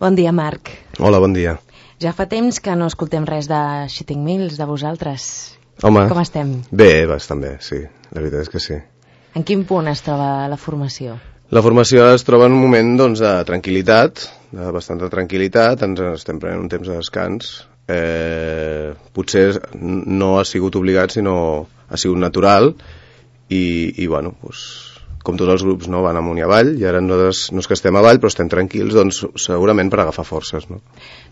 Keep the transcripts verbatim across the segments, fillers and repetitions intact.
Bon dia, Marc. Hola, bon dia. Ja fa temps que no escoltem res de Shitting Mills, de vosaltres. Home, com estem? Bé, bastant bé, sí. La veritat és que sí. En quin punt es troba la formació? La formació es troba en un moment doncs, de tranquil·litat, de bastanta tranquil·litat, ens estem prenent un temps de descans. Eh, potser no ha sigut obligat, sinó ha sigut natural, i, i bueno, doncs, com tots els grups, no, van amunt i avall, i ara nosaltres no és que estem avall, però estem tranquils, doncs segurament per agafar forces, no?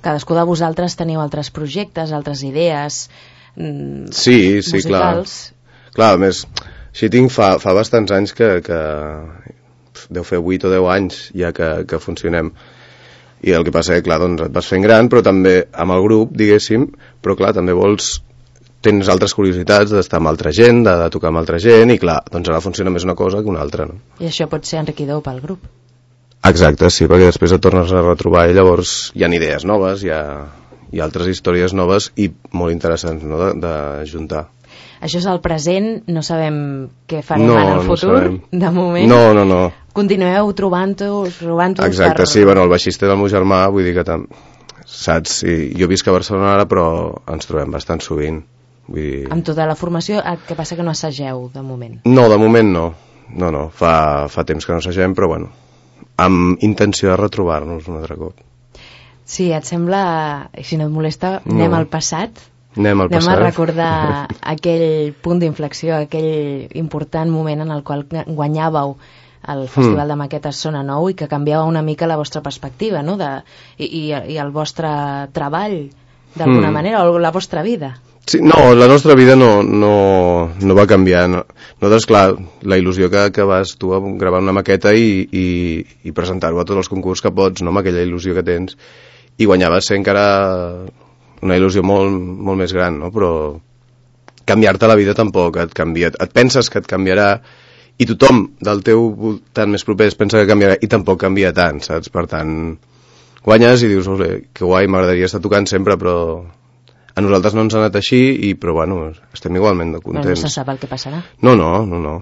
Cadascú de vosaltres teniu altres projectes, altres idees mm, sí, sí, musicals. Clar. Clar, a més, Shitting fa, fa bastants anys que, que deu fer vuit o deu anys ja que, que funcionem. I el que passa és que, clar, doncs et vas fent gran, però també amb el grup, diguéssim, però clar, també vols... tens altres curiositats d'estar amb altra gent, de, de tocar amb altra gent, i clar, doncs ara funciona més una cosa que una altra, no? I això pot ser enriquidor pel grup. Exacte, sí, perquè després et tornes a retrobar i llavors hi ha idees noves, hi ha, hi ha altres històries noves i molt interessants, no?, de, de juntar. Això és el present, no sabem què farem no, en el futur, no de moment. No, no, no. Continueu trobant-vos, trobant-vos... Exacte, per... sí, bueno, el baixista del meu germà, vull dir que tam... saps, sí, jo visc a Barcelona ara, però ens trobem bastant sovint. Vull dir... Amb tota la formació, el que passa que no assageu, de moment. No, de moment no. No, no, fa, fa temps que no assagem, però bueno, amb intenció de retrobar-nos un altre cop. Sí, et sembla, si no et molesta, no. anem al passat? Anem al anem passat. a recordar aquell punt d'inflexió, aquell important moment en el qual guanyàveu el Festival mm. de Maquetes Sona Nou i que canviava una mica la vostra perspectiva, no?, de, i, i, i el vostre treball, d'alguna mm. manera, o la vostra vida. Sí, no, la nostra vida no, no, no va canviar. No. Nosaltres, clar, la il·lusió que, que vas tu a gravar una maqueta i, i, i presentar-ho a tots els concursos que pots, no?, amb aquella il·lusió que tens, i guanyar va ser encara una il·lusió molt, molt més gran, no?, però canviar-te la vida tampoc et canvia. Et penses que et canviarà i tothom del teu voltant més proper es pensa que canviarà i tampoc canvia tant, saps? Per tant, guanyes i dius, que guai, m'agradaria estar tocant sempre, però... A nosaltres no ens ha anat així, i, però bueno, estem igualment de contents. Però no se sap el que passarà. No, no, no, no.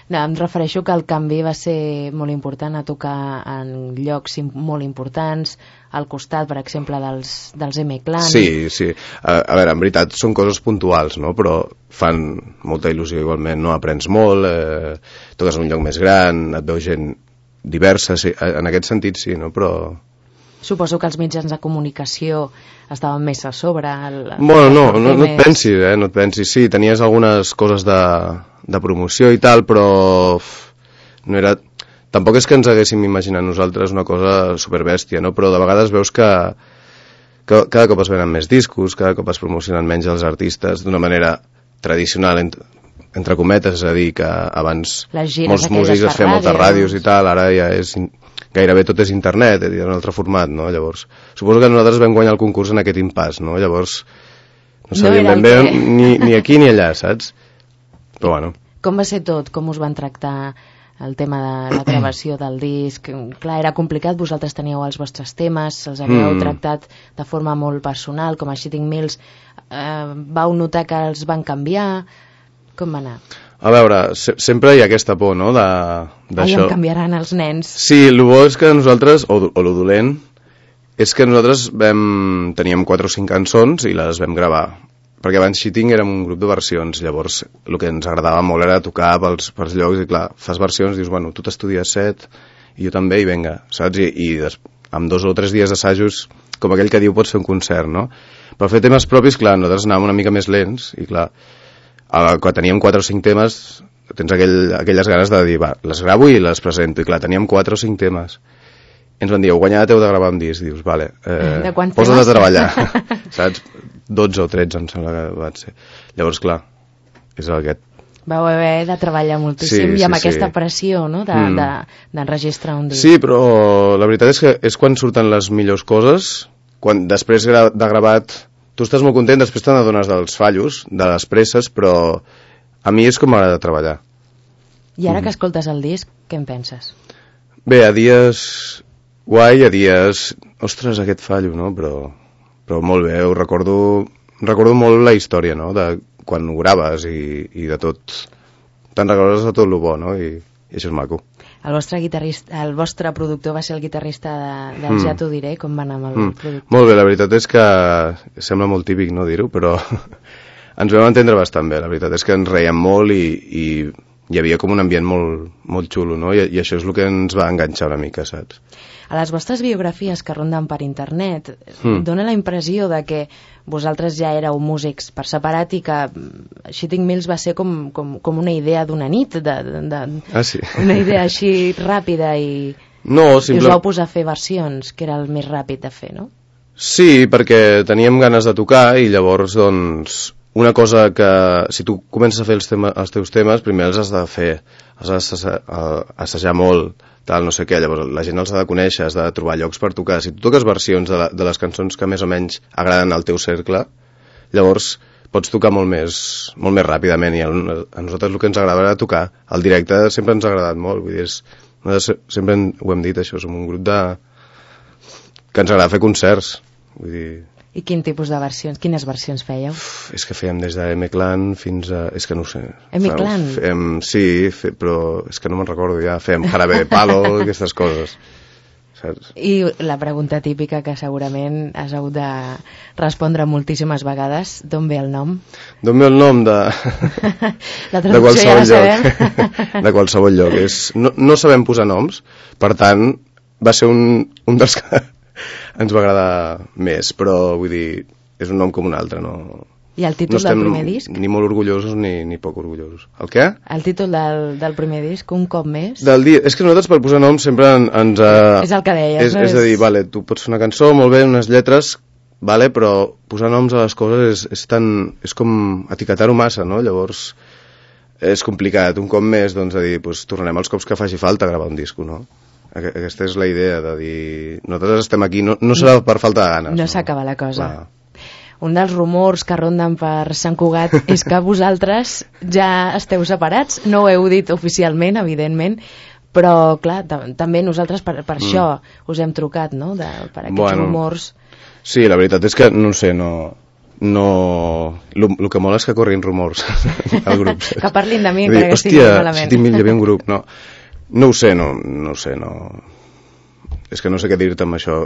No, em refereixo que el canvi va ser molt important, a tocar en llocs molt importants, al costat, per exemple, dels, dels M-Clan. Sí, sí. A, a veure, en veritat són coses puntuals, no?, però fan molta il·lusió igualment, no? Aprens molt, eh, toques en un lloc més gran, et veu gent diversa, sí, en aquest sentit sí, no?, però... Suposo que els mitjans de comunicació estaven més a sobre. El, bueno, no, no, no et pensis, eh? No et pensis. Sí, tenies algunes coses de, de promoció i tal, però no era... Tampoc és que ens haguéssim imaginat nosaltres una cosa superbèstia, no? Però de vegades veus que, que cada cop es venen més discos, cada cop es promocionen menys els artistes d'una manera tradicional, entre, entre cometes, és a dir, que abans molts músics es feien moltes ràdios i tal, ara ja és... gairebé tot és internet, és un altre format, no? Llavors, suposo que nosaltres vam guanyar el concurs en aquest impàs, no? Llavors, no sabíem ben bé ni, ni aquí ni allà, saps? Però bueno. Com va ser tot? Com us van tractar el tema de la gravació del disc? Clar, era complicat, vosaltres teníeu els vostres temes, els havíeu mm. tractat de forma molt personal, com a Shitting Mills. Eh, vau notar que els van canviar? Com va anar? A veure, se sempre hi ha aquesta por, no?, d'això. Ai, em canviaran els nens. Sí, el bo és que nosaltres, o, o lo dolent, és que nosaltres vam, teníem quatre o cinc cançons i les vam gravar. Perquè abans Shitting érem un grup de versions, llavors el que ens agradava molt era tocar pels, pels llocs, i clar, fas versions, dius, bueno, tu t'estudies set, i jo també, i venga, saps? I, i des, amb dos o tres dies d'assajos, com aquell que diu, pots fer un concert, no? Per fer temes propis, clar, nosaltres anàvem una mica més lents, i clar, quan teníem quatre o cinc temes tens aquell, aquelles ganes de dir va, les gravo i les presento, i clar, teníem quatre o cinc temes i ens van dir, heu guanyat, heu de gravar un disc, dius, vale, eh, posa't a treballar saps, dotze o tretze em sembla que va ser, llavors clar és aquest. Vau haver de treballar moltíssim, sí, i amb sí, aquesta sí. pressió, no?, d'enregistrar mm. un disc. Sí, però la veritat és que és quan surten les millors coses, quan després de gravat tu estàs molt content, després te n'adones dels fallos, de les presses, però a mi és com m'agrada treballar. I ara mm. que escoltes el disc, què en penses? Bé, a dies guai, a dies... Ostres, aquest fallo, no? Però, però molt bé, ho recordo, recordo molt la història, no?, de quan ho graves i, i de tot. Te'n recordes de tot el bo, no?, i, i això és maco. El vostre guitarrista, el vostre productor va ser el guitarrista de, del mm. Ja t'ho diré, com va anar amb el mm. productor? Molt bé, la veritat és que sembla molt típic no dir-ho, però ens vam entendre bastant bé, la veritat és que ens reiem molt i, i hi havia com un ambient molt, molt xulo, no? I, i això és el que ens va enganxar una mica, saps? A les vostres biografies que ronden per internet mm. dona la impressió de que vosaltres ja éreu músics per separat i que Shitting Mills va ser com, com, com una idea d'una nit, de, de, de, ah, sí? una idea així ràpida i, no, simple... i us vau posar a fer versions, que era el més ràpid de fer, no? Sí, perquè teníem ganes de tocar i llavors, doncs, una cosa que si tu comences a fer els, tema, els teus temes, primer els has de fer, els has d'assajar molt, tal, no sé què, llavors la gent els ha de conèixer, has de trobar llocs per tocar. Si tu toques versions de, la, de les cançons que més o menys agraden al teu cercle, llavors pots tocar molt més, molt més ràpidament, i a, a nosaltres el que ens agradava era tocar. El directe sempre ens ha agradat molt, vull dir, és, sempre ho hem dit, això, som un grup de... que ens agrada fer concerts, vull dir... I quin tipus de versions, quines versions fèieu? Uf, és que fèiem des de M-Clan fins a... és que no ho sé. M-Clan? Fèiem, sí, fe, però és que no me'n recordo ja. Fèiem Jarabe de Palo, aquestes coses. Saps? I la pregunta típica que segurament has hagut de respondre moltíssimes vegades, d'on ve el nom? D'on ve el nom? De, la de qualsevol ja lloc. De qualsevol lloc. És... No, no sabem posar noms, per tant, va ser un, un dels que ens va agradar més, però vull dir, és un nom com un altre, no... I el títol no del primer disc? Ni molt orgullosos ni, ni poc orgullosos. El què? El títol del, del primer disc, Un cop més? Del dia, és que nosaltres per posar noms sempre en, ens... Uh, és el que deies, és, no? És a dir, vale, tu pots fer una cançó, molt bé, unes lletres, vale, però posar noms a les coses és, és tan... és com etiquetar-ho massa, no? Llavors és complicat. Un cop més, doncs, de dir, pues, tornarem els cops que faci falta a gravar un disco, no? Aquesta és la idea de dir, nosaltres estem aquí, no, no serà per falta de ganes. No, no? s'acaba la cosa. Clar. Un dels rumors que ronden per Sant Cugat és que vosaltres ja esteu separats, no ho heu dit oficialment, evidentment, però clar, també nosaltres per, per mm. això us hem trucat, no?, de, per aquests bueno, rumors. Sí, la veritat és que, no sé, no... no... El que mola és que corrin rumors al grup. Que parlin de mi, encara que estigui malament. Hòstia, hi havia un grup, no... No ho sé, no, no ho sé, no... És que no sé què dir-te amb això.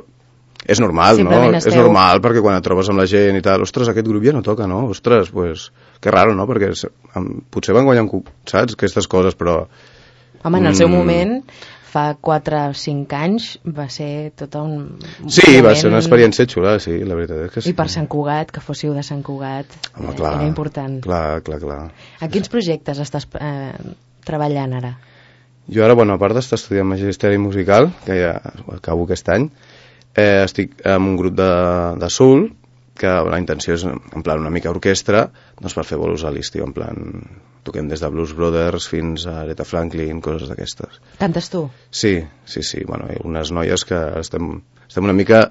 És normal, simplement no? Esteu... És normal, perquè quan et trobes amb la gent i tal, ostres, aquest grup ja no toca, no? Ostres, pues, que raro, no? Perquè potser van guanyar un... saps? Aquestes coses, però... Home, en el seu mm... moment, fa quatre o cinc anys, va ser tot un... Sí, moment... va ser una experiència xula, sí, la veritat és que sí. I per Sant Cugat, que fóssiu de Sant Cugat, home, clar, era important. Clar, clar, clar. A quins projectes estàs eh, treballant ara? Jo ara, bueno, a part d'estar estudiant Magisteri Musical, que ja acabo aquest any, eh, estic en un grup de, de soul, que la intenció és, en plan, una mica orquestra, doncs per fer bolos a l'estiu, en plan, toquem des de Blues Brothers fins a Aretha Franklin, coses d'aquestes. Cantes tu? Sí, sí, sí, bueno, hi ha unes noies que estem, estem una mica,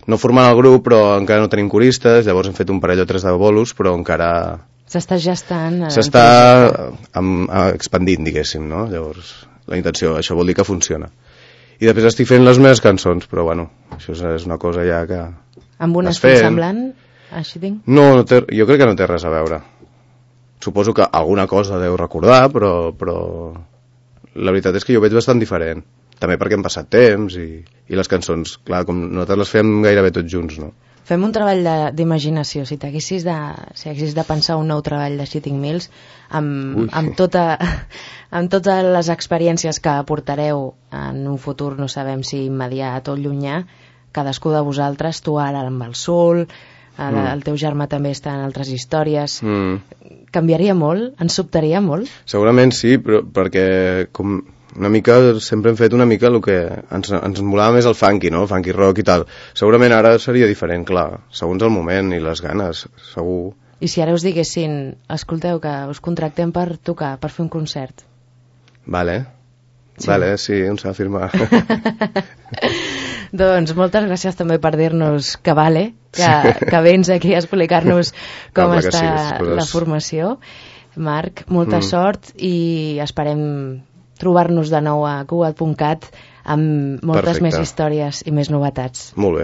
no formant el grup, però encara no tenim coristes, llavors hem fet un parell o tres de bolos, però encara... S'està gestant... S'està expandint, diguéssim, no? Llavors... La intenció, això vol dir que funciona. I després estic fent les meves cançons, però bueno, això és una cosa ja que... Amb un estil semblant, així tinc? No, no té, jo crec que no té res a veure. Suposo que alguna cosa deu recordar, però, però la veritat és que jo ho veig bastant diferent. També perquè hem passat temps i, i les cançons, clar, com nosaltres les fem gairebé tots junts, no? Fem un treball d'imaginació. Si t'haguessis de, si haguessis de pensar un nou treball de Shitting Mills amb, amb, tota, amb totes les experiències que aportareu en un futur, no sabem si immediat o llunyà, cadascú de vosaltres, tu ara amb el Soul, el, mm. el teu germà també està en altres històries, mm. canviaria molt? Ens sobtaria molt? Segurament sí, però perquè com... una mica, sempre hem fet una mica el que ens, ens molava més el funky, no? El funky rock i tal. Segurament ara seria diferent, clar, segons el moment i les ganes, segur. I si ara us diguessin, escolteu, que us contractem per tocar, per fer un concert? Vale, sí. Vale, sí, on s'ha de firmar. Doncs moltes gràcies també per dir-nos que vale, que, sí. que vens aquí a explicar-nos com no, està sí, la formació. Marc, molta mm. sort i esperem trobar-nos de nou a cugat punt cat amb moltes Perfecte. Més històries i més novetats. Molt bé.